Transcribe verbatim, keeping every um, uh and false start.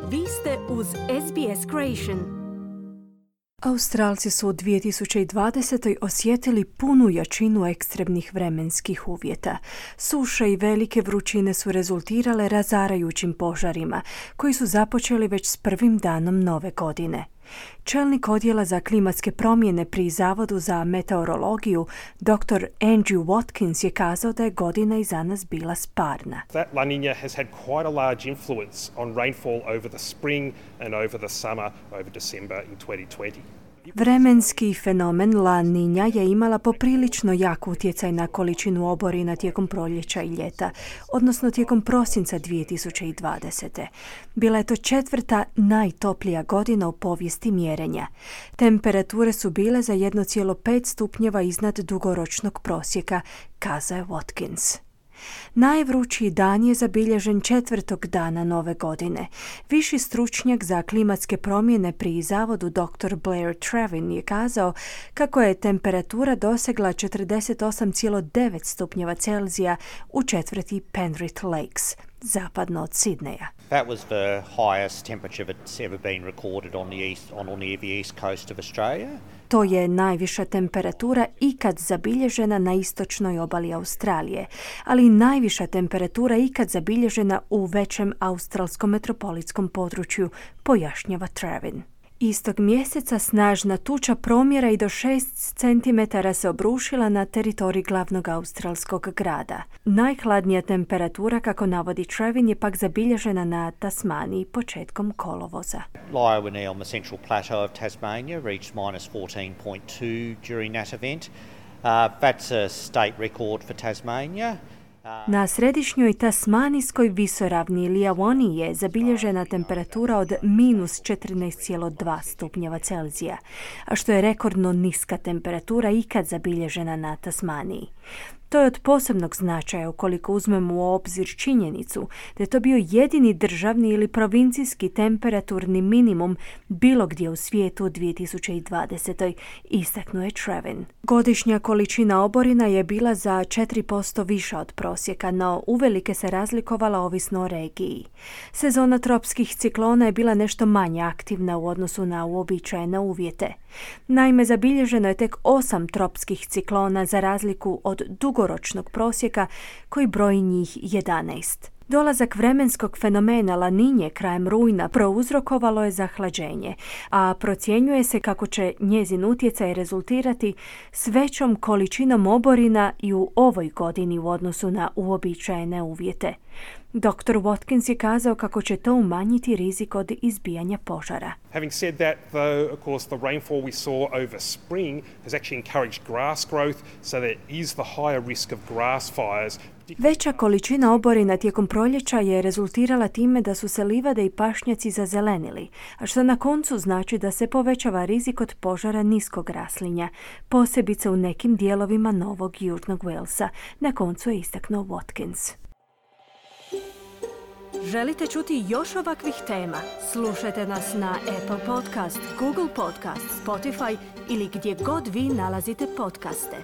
Vi ste uz S B S Creation. Australci su u dvije tisuće dvadesetoj osjetili punu jačinu ekstremnih vremenskih uvjeta. Suše i velike vrućine su rezultirale razarajućim požarima, koji su započeli već s prvim danom nove godine. Čelnik odjela za klimatske promjene pri Zavodu za meteorologiju, doktor Andrew Watkins, je kazao da je godina iza nas bila sparna. That La Niña has had quite a large influence on rainfall over the spring and over the summer, over December in twenty twenty. Vremenski fenomen La Niña je imala poprilično jak utjecaj na količinu oborina tijekom proljeća i ljeta, odnosno tijekom prosinca dvije tisuće dvadesete. Bila je to četvrta najtoplija godina u povijesti mjerenja. Temperature su bile za jedan zarez pet stupnjeva iznad dugoročnog prosjeka, kazao je Watkins. Najvrućiji dan je zabilježen četvrtog dana nove godine. Viši stručnjak za klimatske promjene pri Zavodu doktor Blair Trevin je kazao kako je temperatura dosegla četrdeset osam zarez devet stupnjeva Celzija u četvrti Penrith Lakes, zapadno od Sidneja. That was the highest temperature that's ever been recorded on the east on on the east coast of Australia. To je najviša temperatura ikad zabilježena na istočnoj obali Australije, ali i najviša temperatura ikad zabilježena u većem australskom metropolitskom području, pojašnjava Trevin. Istog mjeseca snažna tuča promjera i do šest centimetara se obrušila na teritorij glavnog australskog grada. Najhladnija temperatura, kako navodi Trevin, je pak zabilježena na Tasmaniji početkom kolovoza. Lyowini on the central plateau of Tasmania reached minus fourteen point two during that event. Uh, that's a state record for Tasmania. Na središnjoj tasmanijskoj visoravni Lyowini je zabilježena temperatura od minus četrnaest zarez dva stupnjeva Celzija, a što je rekordno niska temperatura ikad zabilježena na Tasmaniji. To je od posebnog značaja ukoliko uzmemo u obzir činjenicu da je to bio jedini državni ili provincijski temperaturni minimum bilo gdje u svijetu u dvije tisuće dvadesetoj, istaknuo je Trevin. Godišnja količina oborina je bila za četiri posto viša od prosjeka, no uvelike se razlikovala ovisno o regiji. Sezona tropskih ciklona je bila nešto manje aktivna u odnosu na uobičajene uvjete. Naime, zabilježeno je tek osam tropskih ciklona za razliku od dugoročnog prosjeka koji broji njih jedanaest. Dolazak vremenskog fenomena La Niñe krajem rujna prouzrokovalo je zahlađenje, a procjenjuje se kako će njezin utjecaj rezultirati s većom količinom oborina i u ovoj godini u odnosu na uobičajene uvjete. doktor Watkins je kazao kako će to umanjiti rizik od izbijanja požara. Having said that, though, of course, the rainfall we saw over spring has actually encouraged grass growth, so there is the higher risk of grass fires. Veća količina oborina tijekom proljeća je rezultirala time da su se livade i pašnjaci zazelenili, a što na koncu znači da se povećava rizik od požara niskog raslinja, posebice u nekim dijelovima Novog Južnog Walesa, na koncu je istaknuo Watkins. Želite čuti još ovakvih tema? Slušajte nas na Apple Podcast, Google Podcast, Spotify ili gdje god vi nalazite podcaste.